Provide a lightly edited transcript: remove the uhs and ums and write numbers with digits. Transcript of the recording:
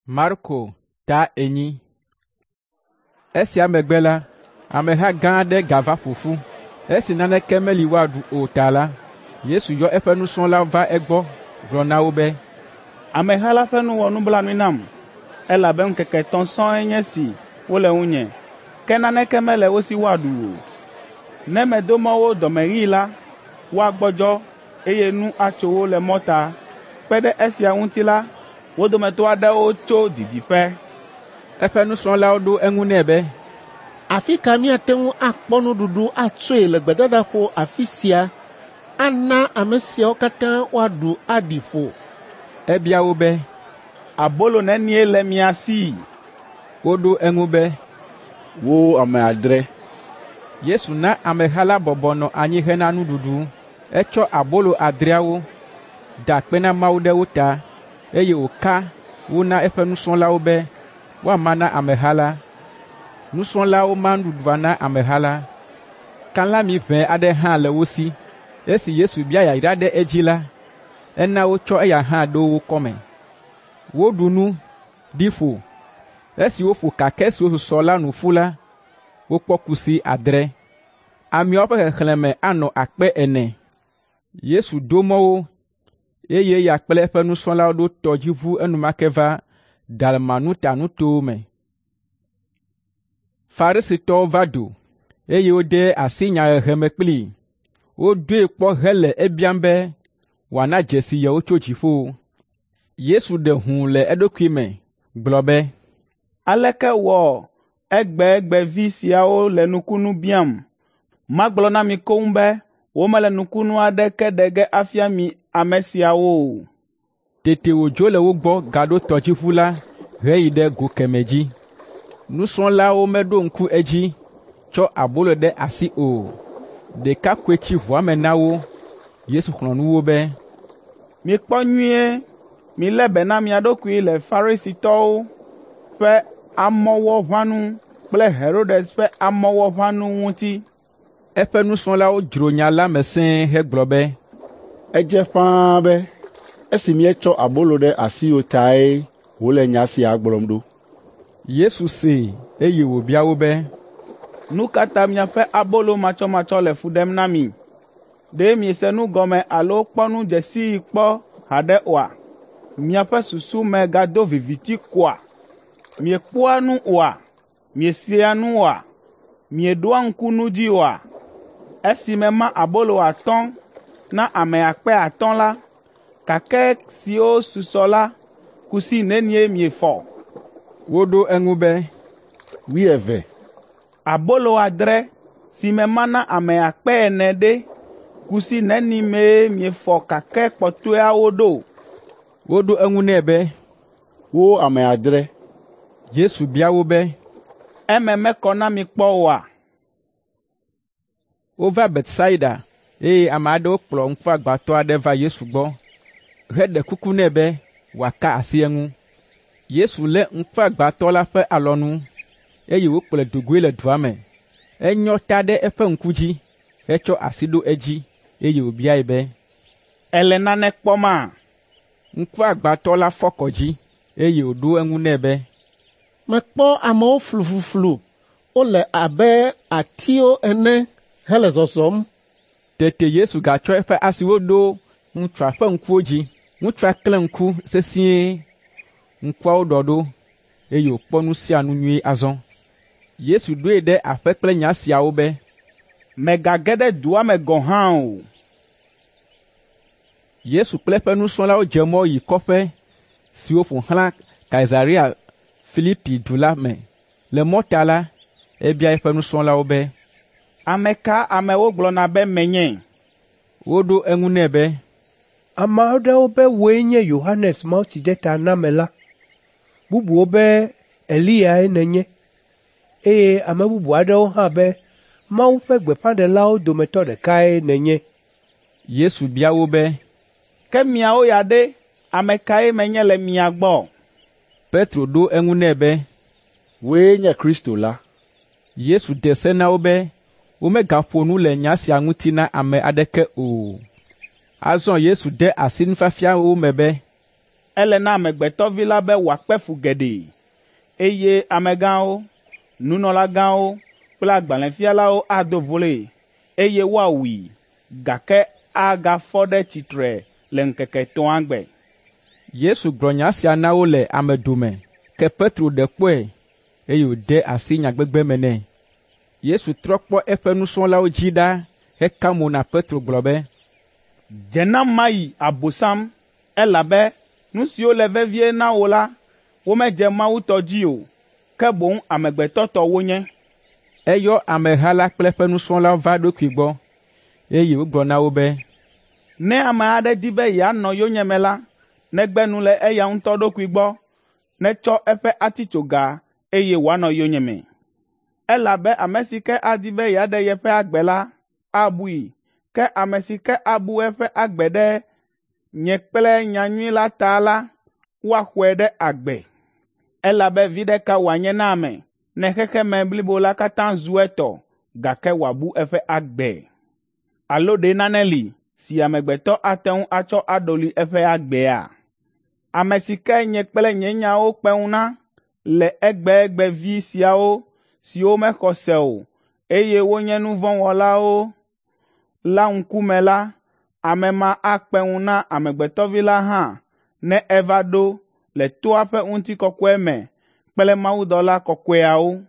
Marko ta 4. Esia megbe la, ameha gã aɖe gava ƒo ƒu. Esi naneke meli woaɖu o ta la, Yesu yɔ eƒe nusrɔ̃lawo va egbɔ gblɔ na wo be, Ameha la ƒe nu wɔ nublanui nam, elabe ŋkeke etɔ̃ sɔŋ nye esi wole ŋunye, ke naneke mele wo si woaɖu o. Ne medo mɔ wo dɔmeɣii la, woagbɔdzɔ, eye nu atso wo le mɔta. Kpe ɖe esia ŋuti la, wo dometɔ aɖewo tso didiƒe. Eƒe nusrɔ̃lawo ɖo eŋu nɛ be, Afi ka míate ŋu akpɔ nuɖuɖu atsoe le gbedadaƒo afi sia ana ame siawo katã woaɖu aɖi ƒo?” Ebia wo be, “Abolo nenie le mia si?” Woɖo eŋu be, “Wo ame adre.” Yesu na ameha la bɔbɔ nɔ anyi hena nuɖuɖu. Etsɔ abolo adreawo, da akpe na Mawu ɖe wo ta, eye wòka wo na eƒe nusrɔ̃lawo be woama na ameha la. Nusrɔ̃lawo ma nuɖuɖua na ameha la. Kalãmi ʋɛ aɖe hã le wo si. Esi Yesu bia yayra ɖe edzi la, ena wotsɔ eya hã ɖo wo kɔme. Woɖu nu, ɖi ƒo. Esi woƒo kakɛ siwo susɔ la nu ƒu la, wokpɔ kusi adre. Ameawo ƒe xexlẽme anɔ 4000. Yesu do mɔ wo, eye eya kple eƒe nusrɔ̃lawo ɖo tɔdziʋu enumake va Dalmanuta nutowo me. Farisitɔwo va do, eye wode asi nyahehe me kplii. Wodoe kpɔ hele ebiam be wòana dzesi yewo tso dziƒo. Yesu ɖe hũu le eɖokui me gblɔ be, “Aleke wɔ egbegbevi siawo le nukunu biam? Magblɔ na mi koŋ be womele nukunu aɖeke ɖe ge afia mi ame siawo o.” Tete wòdzo le wo gbɔ gaɖo tɔdziʋu la heyi ɖe go kemɛ dzi. Nusrɔ̃lawo meɖo ŋku edzi tsɔ abolo ɖe asi o. Ɖeka koe tsi ʋua me na wo. Yesu xlɔ̃ nu wo be, “Mikpɔ nyuie, milé be na mia ɖokui le Farisitɔwo ƒe amɔwɔʋãnu kple Herodes ƒe amɔwɔʋãnu ŋuti.” Eƒe nusrɔ̃lawo dzro nya la me sẽe hegblɔ be, “Edze ƒãa be esi míetsɔ abolo ɖe asi o tae wòle nya sia gblɔm ɖo.” Yesu see, eye wòbia wo be, “Nu ka ta miaƒe abolo matsɔmatsɔ le fu ɖem na mi? Ɖe miese nu gɔme alo kpɔ nu dze sii kpɔ haɖe oa? Miaƒe susu me gado viviti koa? Miekpɔa nu oa? Miesea nu oa? Mieɖoa ŋku nu dzi oa? Esi mema abolo 5 na ame 5000 la, kakɛ siwo susɔ la, kusi nenie miefɔ?” Woɖo eŋu be, “Wuieve.” “Abolo adre si mema na ame 4000 ɖe, kusi neni mee miefɔ kakɛ kpɔtɔeawo ɖo?” Woɖo eŋu nɛ be, “Wo ame adre.” Yesu bia wo be, “Eme mekɔ na mi kpɔ oa?” Wova Betsaida, eye ame aɖewo kplɔ ŋkuagbãtɔ aɖe va Yesu gbɔ heɖe kuku nɛ be wòaka asi eŋu. Yesu lé ŋkuagbãtɔ la ƒe alɔnu, eye wòkplɔe do goe le dua me. Enyɔ ta ɖe eƒe ŋku dzi, hetsɔ asi ɖo edzi, eye wòbiae be, “Èle nane kpɔma?” Ŋkuagbãtɔ la fɔ kɔ dzi, eye wòɖo eŋu nɛ be, “Mekpɔ amewo flufluflu wole abe atiwo ene hele zɔzɔm.” Tete Yesu gatsɔ eƒe asiwo ɖo ŋutsua ƒe ŋkuwo dzi. Ŋutsua klẽ ŋku sesĩe, ŋkuawo ɖɔ ɖo, eye wòkpɔ nu sia nu nyuie azɔ. Yesu ɖoe ɖe aƒe kple nya siawo be, “Mègage ɖe dua me gɔ̃ hã o.” Yesu kple eƒe nusrɔ̃lawo dze mɔ yi kɔƒe siwo ƒo xlã Kaesarea Filipi du la me. Le mɔta la, ebia eƒe nusrɔ̃lawo be, “Ame ka amewo gblɔna be menye?” Woɖo eŋu nɛ be, “Ame aɖewo be wòe nye Yohanes Mawutsidetanamela, bubuwo be Eliyae nènye, eye ame bubu aɖewo hã be Mawu ƒe gbeƒãɖelawo dometɔ ɖekae nènye.” Yesu bia wo be, “Ke miawo ya ɖe, ame kae menye le mia gbɔ?” Petro ɖo eŋu nɛ be, “Wòe nye Kristo la.” Yesu de se na wo be womegaƒo nu le nya sia ŋuti na ame aɖeke o. Azɔ Yesu de asi nufiafia wo me be, Ele na Amegbetɔ Vi la be wòakpe fu geɖe, eye amegãwo, nunɔlagãwo kple agbalẽfialawo ado vloe, eye woawui, gake agafɔ ɖe tsitre le ŋkeke etɔ̃a gbe.” Yesu gblɔ nya sia na wo le ame dome, ke Petro ɖe kpɔe, eye wòde asi nyagbegbe me nɛ. Yesu trɔ kpɔ eƒe nusrɔ̃lawo dzi ɖa heka mo na Petro gblɔ be, “Dze nam mayi, Abosam, elabe nu siwo le vevie na wò la, womedze Mawu tɔ dzi o, ke boŋ amegbetɔ tɔ wonye.” Eyɔ ameha la kple eƒe nusrɔ̃lawo va eɖokui gbɔ, eye wògblɔ na wo be, “Ne ame aɖe di be yeanɔ yonyeme la, negbe nu le eya ŋutɔ ɖokui gbɔ, netsɔ eƒe atitsoga, eye wòanɔ yonyeme. Elabe ame si ke adi be yeaɖe yeƒe agbe la, abui, ke ame si ke abu eƒe agbe ɖe nye kple nyanyui la ta la, woaxɔe ɖe agbe. Elabe viɖe ka wòanye na ame ne xexeme blibo la katã zu etɔ, gake wòabu eƒe agbe? Alo ɖe nane li si amegbetɔ ate ŋu atsɔ aɖɔli eƒe agbea? Ame si ke nye kple nye nyawo kpe ŋu na le egbegbevi siawo siwo mexɔ se o, eye wonye nu vɔ̃ wɔlawo la ŋkume la, ame ma akpe ŋu na Amegbetɔ Vi la hã ne eva ɖo le toa ƒe ŋutikɔkɔe me kple mawudɔla kɔkɔeawo.